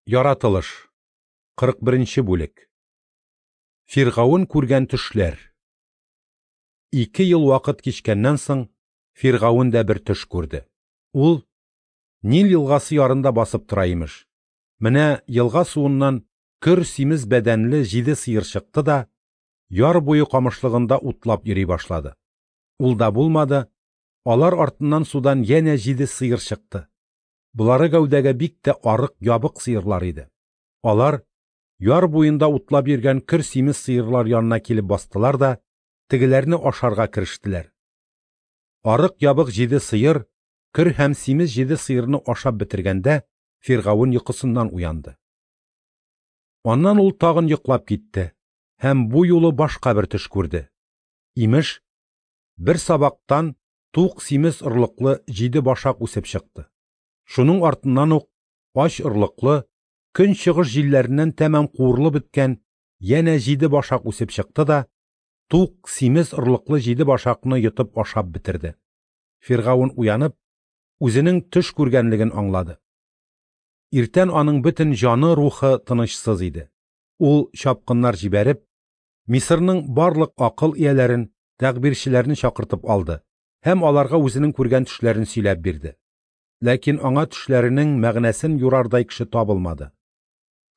Яратылыш. 41 бүлек. Фиргавен күргән төшләр. 2 ел вакыт кичкәннән соң Фиргавен дә бер төш күрде. Ул Нил елгасы ярында басып тора имеш. Менә елга суыннан көр симез бәдәнле 7 сыер чыкты да яр буе камышлыгында утлап йөри башлады. Ул да булмады, алар артыннан судан янә 7 сыер чыкты. Болары гәүдәгә бик тә арык, ябык сыерлар иде. Алар яр буенда утлап йөргән көр симез сыерлар янына килеп бастылар да тегеләрне ашарга керештеләр. Арык ябык 7 сыер, көр һәм симез 7 сыерны ашап бетергәндә Фиргавен йокысыннан уянды. Аннан ул тагын йоклап китте һәм бу юлы башка бер төш күрде. Имеш, бер сабактан тук симез орлыклы 7 башак үсеп чыкты. Шуның артыннан ук ач орлыклы, көн чыгыш җилләреннән тәмам куырылып беткән янә 7 башак үсеп чыкты да тук симез орлыклы 7 башакны йотып ашап бетерде. Фиргавен уянып, үзенең төш күргәнлеген аңлады. Иртән аның бөтен җаны, рухы тынычсыз иде. Ул чапкыннар җибәреп, Мисырның барлык акыл ияләрен, тәгъбирчеләрне чакыртып алды һәм аларга үзенең күргән төшләрен сөйләп бирде. Ләкин аңа төшләренең мәгънәсен юрардай кеше табылмады.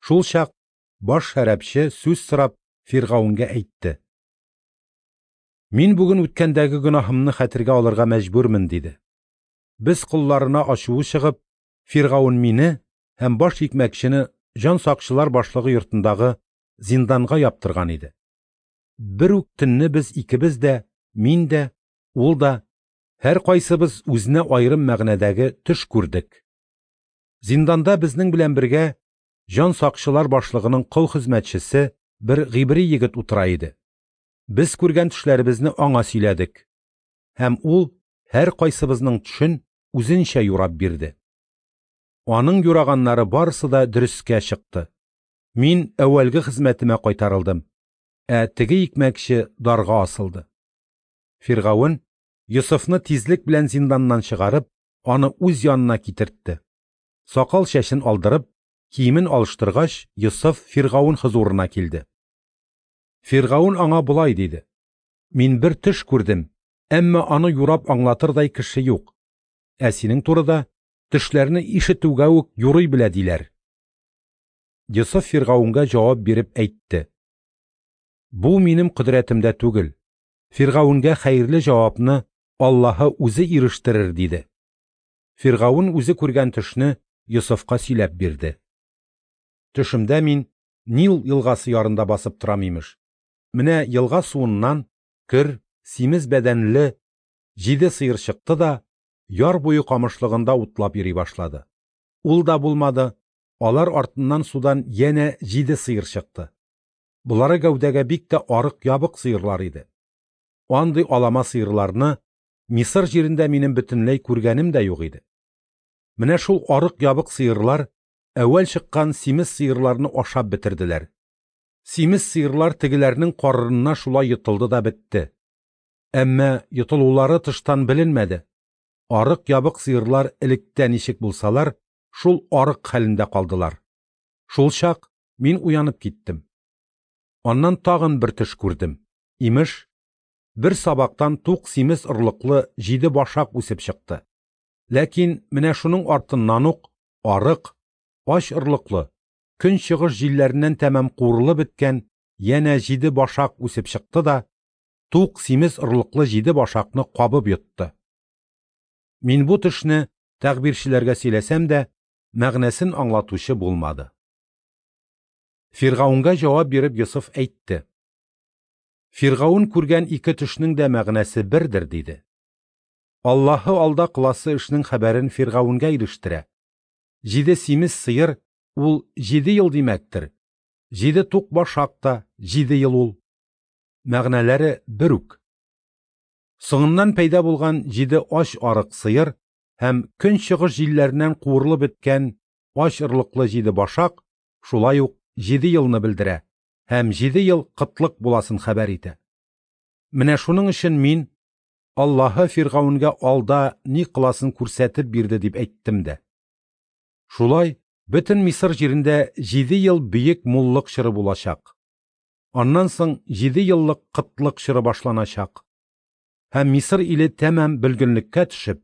Шул чак баш шәрәпче сүз сорап Фиргавенгә әйтте: "Мин бүген үткәндәге гөнаһымны хәтергә алырга мәҗбүрмен", диде. Без колларына ачуы чыгып, Фиргавен мине һәм баш икмәкчене җан сакчылар башлыгы йортындагы зинданга яптырган иде. Бер үк төнне без икебез дә, мин дә, ул да, һәр кайсыбыз үзенә аерым мәгънәдәге төш күрдек. Зинданда безнең белән бергә җан сакчылар башлыгының кол хезмәтчесе бер гыйбри егет утыра иде. Без күргән төшләребезне аңа сөйләдек. Һәм ул һәр кайсыбызның төшен үзенчә юрап бирде. Аның юраганнары барысы да дөрескә чыкты. Мин әүвәлге хезмәтемә кайтарылдым, ә теге икмәкче дарга асылды. Фиргавен Йосыфны тизлек белән зинданнан чыгарып, аны үз янына китертте. Сакал чәчен алдырып, киемен алыштыргач, Йосыф Фиргавен хозурына килде. Фиргавен аңа болай диде: "Мин бер төш күрдем, әмма аны юрап аңлатырдай кеше юк. Ә синең турыда төшләрне ишетүгә үк юрый белә диләр." Йосыф Фиргавенгә җавап биреп әйтте: "Бу минем кодрәтемдә түгел. Фиргавенгә хәерле җавапны Аллаһы үзе ирештерер", диде. Фиргавен үзе күргән төшне Йосыфка сөйләп бирде. Төшемдә мин Нил елгасы ярында басып торам имеш. Менә елга суыннан көр, симез бәдәнле 7 сыер чыкты да яр буе камышлыгында утлап йөри башлады. Ул да булмады, алар артыннан судан янә 7 сыер чыкты. Болары гәүдәгә бик тә арык ябык сыерлар иде. Андый алама сыерларны Мисыр җирендә минем бөтенләй күргәнем дә юк иде. Менә шул арык ябык сыерлар әүвәл чыккан симез сыерларны ашап бетерделәр. Симез сыерлар тегеләрнең карынына шулай йотылды да бетте. Әмма йотылулары тыштан беленмәде. Арык ябык сыерлар электә ничек булсалар, шул арык хәлендә калдылар. Шул чак мин уянып киттем. Аннан тагын бер төш күрдем. Имеш, бер сабактан тук симез орлыклы 7 башак үсеп чыкты. Ләкин менә шуның артыннан ук арык, ач орлыклы, көн чыгыш җилләреннән тәмам куырылып беткән янә 7 башак үсеп чыкты да тук симез орлыклы 7 башакны кабып йотты. Мин бу төшне тәгъбирчеләргә сөйләсәм дә, мәгънәсен аңлатучы булмады. Фиргавенгә җавап биреп Йосыф әйтте: "Фиргавен күргән 2 төшнең дә мәгънәсе бердер", диде. Аллаһы алда кыласы эшнең хәбәрен Фиргавенгә ирештерә. 7 симез сыер ул 7 ел димәктер. 7 тук башак та 7 ел ул. Мәгънәләре бер үк. Соңыннан пәйда булган 7 ач арык сыер һәм көн чыгыш җилләреннән куырылып беткән ач орлыклы 7 башак шулай ук 7 елны белдерә һәм 7 ел кытлык буласын хәбәр итә. Менә шуның өчен мин Аллаһы Фиргавенгә алда ни кыласын күрсәтеп бирде дип әйттем дә. Шулай Бөтен Мисыр җирендә 7 ел бөек муллык чоры булачак. Аннан соң 7 еллык кытлык чоры башланачак. Һәм Мисыр иле тәмам бөлгенлеккә төшеп,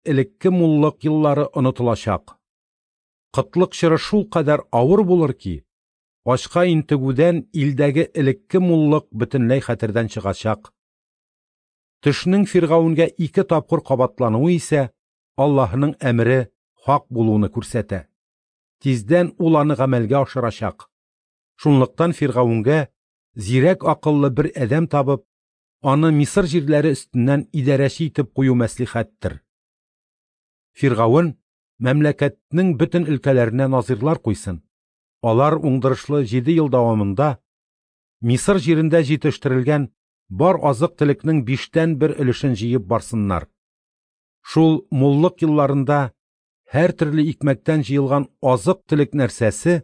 элекке муллык еллары онытылачак. Кытлык чоры шулкадәр авыр булыр ки, ачка интегүдән илдәге элекке муллык бөтенләй хәтердән чыгачак. Төшнең Фиргавенгә 2 тапкыр кабатлануы исә Аллаһының әмере хак булуны күрсәтә. Тиздән ул аны гамәлгә ашырачак. Шунлыктан Фиргавенгә зирәк акыллы бер адәм табып, аны Мисыр җирләре өстеннән идарәче итеп кую мәслихәттер. Фиргавен мәмләкәтнең бөтен өлкәләренә назирлар куйсын. Алар уңдырышлы 7 ел дәвамында Мисыр җирендә җитештерелгән бар азык-төлекнең 1/5 өлешен җыеп барсыннар. Шул муллык елларында һәр төрле икмәктән җыелган азык-төлек нәрсәсе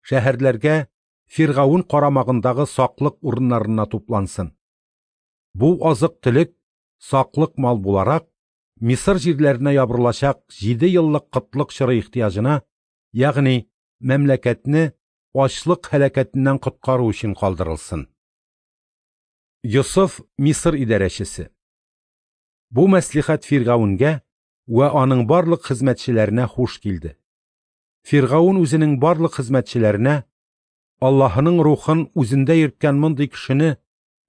шәһәрләргә Фиргавен карамагындагы саклык урыннарына туплансын. Бу азык-төлек саклык мал буларак Мисыр җирләренә ябырылачак 7 еллык кытлык чоры ихтыяҗына, ягъни мәмләкәтне ачлык һәлакәтеннән коткару өчен калдырылсын. Йосыф Мисыр идарәчесе. Бу мәслихәт Фиргавенгә вә аның барлык хезмәтчеләренә хуш килде. Фиргавен үзенең барлык хезмәтчеләренә Аллаһының рухын үзендә йөрткән мондый кешене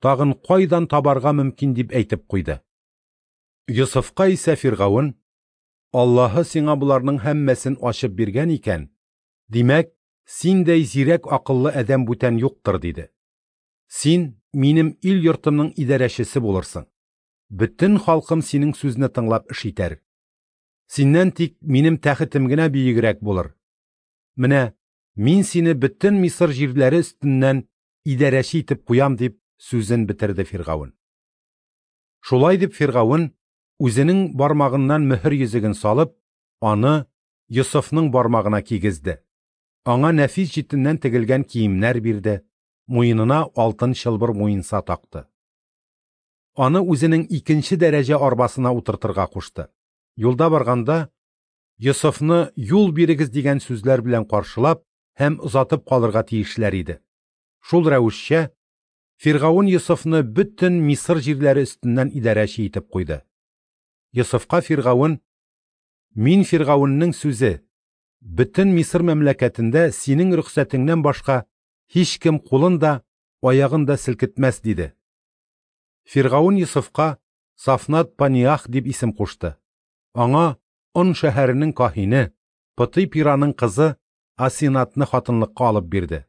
тагын кайдан табарга мөмкин дип әйтеп куйды. Йосыфка исә Фиргавен: Аллаһы сиңа боларның һәммәсен ачып биргән икән, димәк, синдәй зирәк акыллы адәм бүтән юктыр, диде. Син минем ил йортымның идарәчесе булырсың. Бөтен халкым синең сүзне тыңлап эш итәр. Синнән тик минем тәхетем генә бөегрәк булыр. Менә мин сине бөтен Мисыр җирләре өстеннән идарәче итеп куям, дип сүзен бетерде Фиргавен. Шулай дип Фиргавен үзенең бармагыннан мөһер йөзеген салып, аны Йосыфның бармагына кигезде. Аңа нәфис җитеннән тегелгән киемнәр бирде, муенына алтын чылбыр муенса такты. Аны үзенең 2-нче дәрәҗә арбасына утыртырга кушты. Юлда барганда Йосыфны юл бирегез дигән сүзләр белән каршылап һәм озатып калырга тиешләр иде. Шул рәвешчә Фиргавен Йосыфны бөтен Мисыр җирләре өстеннән идарәче итеп куйды. Йосыфка Фиргавен: Мин Фиргавеннең сүзе, бөтен Мисыр мәмләкәтендә синең рөхсәтеңнән башка һичкем кулын да, аягын да селкетмәс, диде. Фиргавен Йосыфка Сафнат Паниах дип исем кушты. Аңа Он шәһәренең каһине, Пытый-Пираның кызы Асинатны хатынлыкка алып бирде.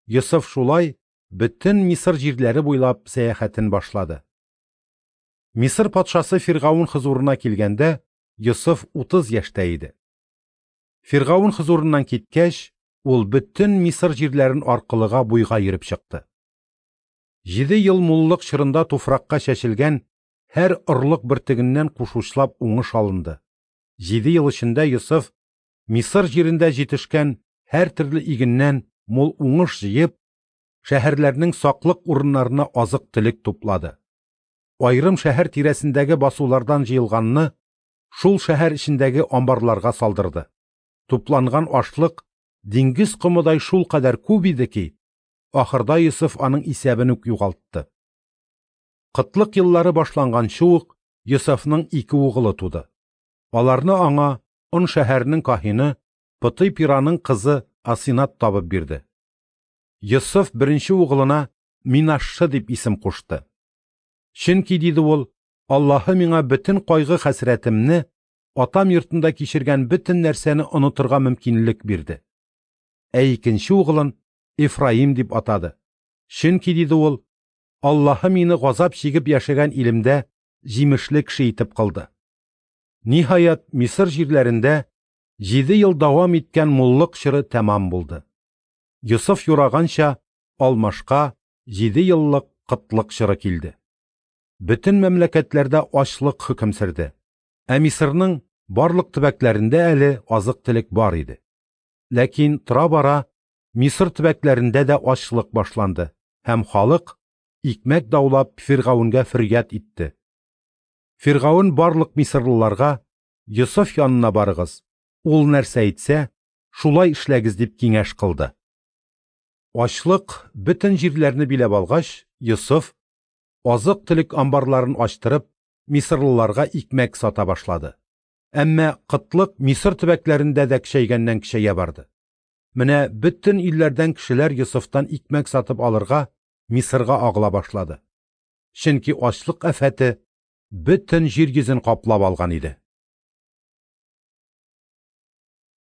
Йосыф шулай бөтен Мисыр җирләре буйлап сәяхәтен башлады. Мисыр патшасы Фиргавен хозурына килгәндә Йосыф 30 яшьтә иде. Фиргавен хозурыннан киткәч, ул бөтен Мисыр җирләрен аркылыга буйга йөреп чыкты. 7 ел муллык чорында туфракка чәчелгән һәр орлык бөртегеннән кушучлап уңыш алынды. 7 ел эчендә Йосыф Мисыр җирендә җитешкән һәр төрле игеннән мул уңыш җыеп, шәһәрләрнең саклык урыннарына азык-төлек туплады. Айрым шәһәр тирәсендәге басулардан җыелганны шул шәһәр эчендәге амбарларга салдырды. Тупланган ашлык диңгез комыдай шулкадәр күп иде ки, ахырда Йосыф аның исәбен үк югалтты. Кытлык еллары башланганчы ук Йосыфның 2 угылы туды. Аларны аңа Он шәһәренең каһине Пытый-Пираның кызы Асинат табып бирде. Йосыф беренче угылына Минашшы дип исем кушты. Чөнки, диде ул, Аллаһы миңа бөтен кайгы хәсрәтемне, атам йортында кичергән бөтен нәрсәне онытырга мөмкинлек бирде. Ә икенче угылын Ефраим дип атады. Чөнки, диде ул, Аллаһы мине газап чигеп яшәгән илемдә җимешле кеше итеп кылды. Ниһаять, Мисыр җирләрендә 7 ел дәвам иткән муллык чоры тәмам булды. Йосыф юраганча алмашка 7 еллык кытлык чоры килде. Бөтен мәмләкәтләрдә ачлык хөкем сөрде. Ә Мисырның барлык төбәкләрендә әле азык-төлек бар иде. Ләкин тора-бара Мисыр төбәкләрендә дә ачлык башланды һәм халык икмәк даулап Фиргавенгә фөрьяд итте. Фиргавен барлык мисырлыларга: Йосыф янына барыгыз, ул нәрсә әйтсә, Шулай эшләгез, дип киңәш кылды. Ачлык бөтен җирләрне биләп алгач, Йосыф, азык-төлек амбарларын ачтырып, мисырлыларга икмәк сата башлады. Әмма кытлык Мисыр төбәкләрендә дә көчәйгәннән-көчәя барды. Менә бөтен илләрдән кешеләр Йосыфтан икмәк сатып алырга Мисырга агыла башлады. Чөнки ачлык афәте бөтен җир йөзен каплап алган иде.